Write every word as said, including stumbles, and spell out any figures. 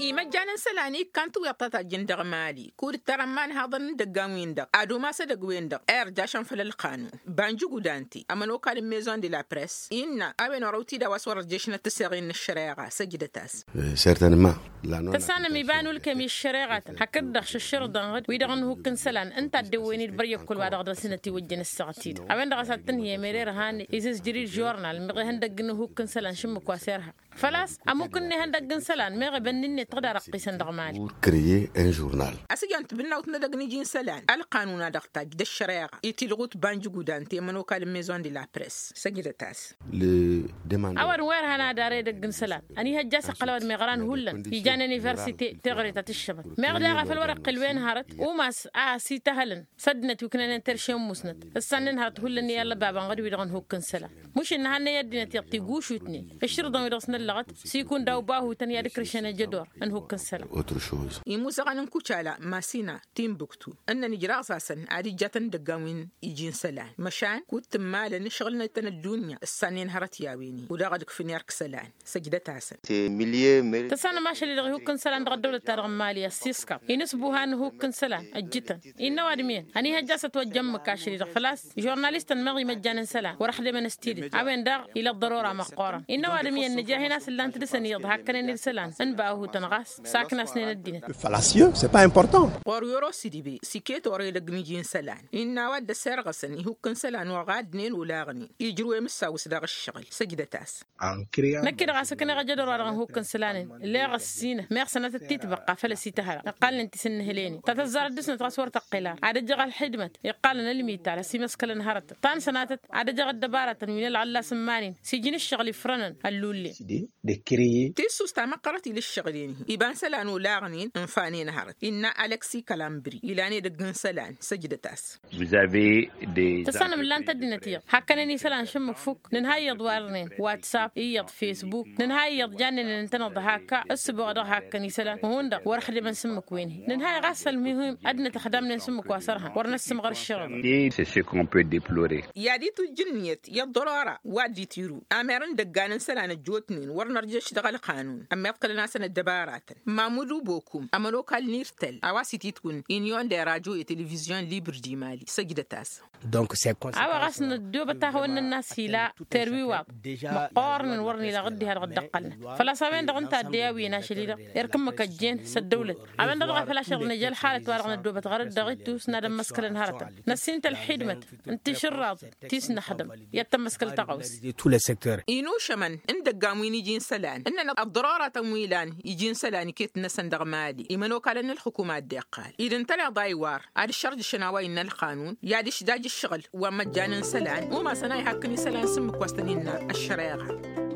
Imăjjan n-isălan ikkan tiwyaḍt ta tajjăn dăɣ-mali kud-ǝttărăn imanhaḍăn n-idăggan-win-dăɣ ad-umas edăgg-wen-dăɣ irjašăn făll-ălqanun. Banjug udante ămănokal n-mezon de la press innă a-wen orăw-t-dd a-wa s-wăr-ărješnăt tiseɣen n-ăššăreɣa săjdăt-as. Certainement. Tăsanăm iba n-ulkem i-ăššăreɣatăn hakd-dăɣ šăššărḍăn ɣǝd wi-dăɣ n-ihukk n-isălan ǝnta a dd-ewwen-dd băryăkkăl wa dăɣ-dăr-s inătiwăjjăn ǝssaɣăt-i-dăɣ a-wen-dăɣ a-s ad-tǝnhǝyăm ere irhan izǝzjăr-dd žurnal meɣ ihăndăgg n-ihukk n-isălan šǝmmǝk wa s-irha. Făl-a-s ămmuk ǝnne ihăndăgg n-isălan meɣ ebănn-innet tăɣ-dd-arăqqisăn dăɣ-mali. Ur kreye un žurnal. Ăsǝjăn tibǝnnawt n-edăgg n-iji n-isălan ălqanun a dăɣ-tajj d-ăššăreɣa itilɣut banjǝg udan ti ămănokal n-mezon de la press. Săjdăt-as. A-wa dăɣ-n wa irhan ad-ara edăgg n-isălan ănihăjja a-s iqqăl a-wa dăɣ-meɣra n-hullan ijan universite teɣăre ta tǝššăbăt meɣ daɣ a făl wăr-iqqǝl wen hărăt umas a ăsităhălăn s-ăddinăt wi ǝknănen terše n-musnăt. Ǝssannen hărăt hullan i-ăllăbabăn ɣǝd-wi-dăɣ n-ihukk n-isălan mušǝnna hannăy ăddinăt iyyăḍ tigušutnen ǝššǝrǝḍăn-wi-dăɣ s-năllăɣăt s-ikun daw-bahutăn i-ad-ǝkrǝšăn ejădor n-ihukk n-isălan. Imuzăɣăn n-kucala masina timbuktu ǝnnăn ijraẓ-asăn ad-ijjatăn idăggan wi n-iji n-isălan măšan kud-tǝmmalăn ǝšɣǝlnăt-tăn ăddunya ǝssannen hărăt i-a-wen-i kud-dăɣ ad-ǝkfǝn erk isălan. Săjdăt-asăn. Tăsanăm ašăl-i-dăɣ ihukk n-isălan dăɣ-ăddăwlăt-ta-dăɣ n-mali ăssiiskăḍ inǝsbuha n-ihukk n-isălan ăjjǝtăn. Innă ăwadǝm iyyăn ănihăjja a-s ătwăjja ǝmmǝk ašăl-i-dăɣ făl-a-s žurnalistăn meɣ imăjjan n-isălan wăr-ăxdemăn s-tidǝt a-wen daɣ ila ăḍḍărora măqqoorăn. Innă ăwadǝm iyyăn nǝja hin-asǝllan tǝdǝsăn iyyăḍ hakkănen isălan n-bahutăn ɣas saknasnen ăddinăt. Făl-a-s iyyăn s-e pas important. Ɣur-i orosǝdibe s-iket orăy edăgg n-iji n-isălan innă a-wa dd-ăssirɣăsăn ihukk n-isălan wa ɣaddnen olaɣnen ijrǝw emǝssawǝs dăɣ-ǝššăɣǝl. Săjdăt-as. Năkk-i-dăɣ a-s ǝkneɣ ejădor-wa-dăɣ n-ihukk n-isălan-in ǝlleɣ ăssinăt meɣ sănatăt titbăqqa făll-ăsităhăla ǝqqalnen ti s-ǝnnǝhǝl-en-in ta tăzzarăt dăr-snăt ɣas wăr tăqqel ar ad-ăjăɣ ălxidmăt iqqalăn ălmital ăsimăskălăn hărătăn ta n-sănatăt ad-ăjăɣ ăddăbarătăn wi n-ălɣăllas n-iman-in s-iji n-ǝššăɣǝl ifrănăn ăllullen. Tissust ta măqqărăt ila ǝššăɣǝl-en-hi iba n-isălan olaɣnen ǝnfanen hărăt innă alăksi kalambri ilan edăgg n-isălan. Săjdăt-as. Tăsanăm ǝllan-t ăddinăt iyyăḍ hakkănen isălan šǝmmǝk fukk nǝnha iyyăḍ warnen watsap iyyăḍ fesbuk nǝnha iyyăḍ jannen ǝntăneḍ d-hakka ǝssǝboɣ dăɣ-hakkăn isălan hundăɣ wăr-ăxdǝmăn s-ǝmmǝk wen-hi nǝnha-i ɣas ălmuhim ăddinăt ăxdamnen s-ǝmmǝk wa s-ărhan wăr năssǝmɣăr ǝššăɣǝḍăn. I-ad-itujj ǝnniyăt i-ăḍḍărora wa dd-itiru amer n-idăggan n-isălan ăjjootnen wăr nărjăš dăɣ-ălqanun ămmiḍkălăn-asăn ăddăbaratăn. Mamud ubokum ămănokal n-irtăl a-wa s-ititwǝn inyon de radio i-televizyon libre di mali săjdăt-as. A-wa ɣas năddoobăt ahăwăn-nănn a-s ila terwiwaḍ măqqoornen wăr nǝylaɣ dd-iha dăɣ-dd-ăqqălnăt. Făl-a-s a-wen-dăɣ ǝnta a dd-e-awǝyăn ašăl-i-dăɣ erk ǝmmǝk ăjjeen s-ăddăwlăt a-wen-dăɣ dăɣ-a făl ašăl nǝja ălxalăt-wa-dăɣ năddoobăt ɣărăt dăɣ-ittus n-ad-ămmăskălăn hărătăn năssin-t ălxidmăt n-tišǝrraḍ ti s-năxdăm i-ad-tămmăskăl tăɣawse. Inušămăn n-idăggan wi n-iji n-isălan ǝnnăn ăḍḍărăratăn wi ilan iji n-isălan iket-năsăn dăɣ-mali imănokalăn n-ǝlxǝkum ad-dd-iqqal id-ǝntăneḍ a iwar ad-ǝššărjǝšăn a-wa innă ălqanun i-ad-ǝšdaj ǝššăɣǝl wa n-imăjjan n-isălan umasăn a ihakk n-isălan s-ǝmmǝk wa s-tăn-innă ăššăreɣa.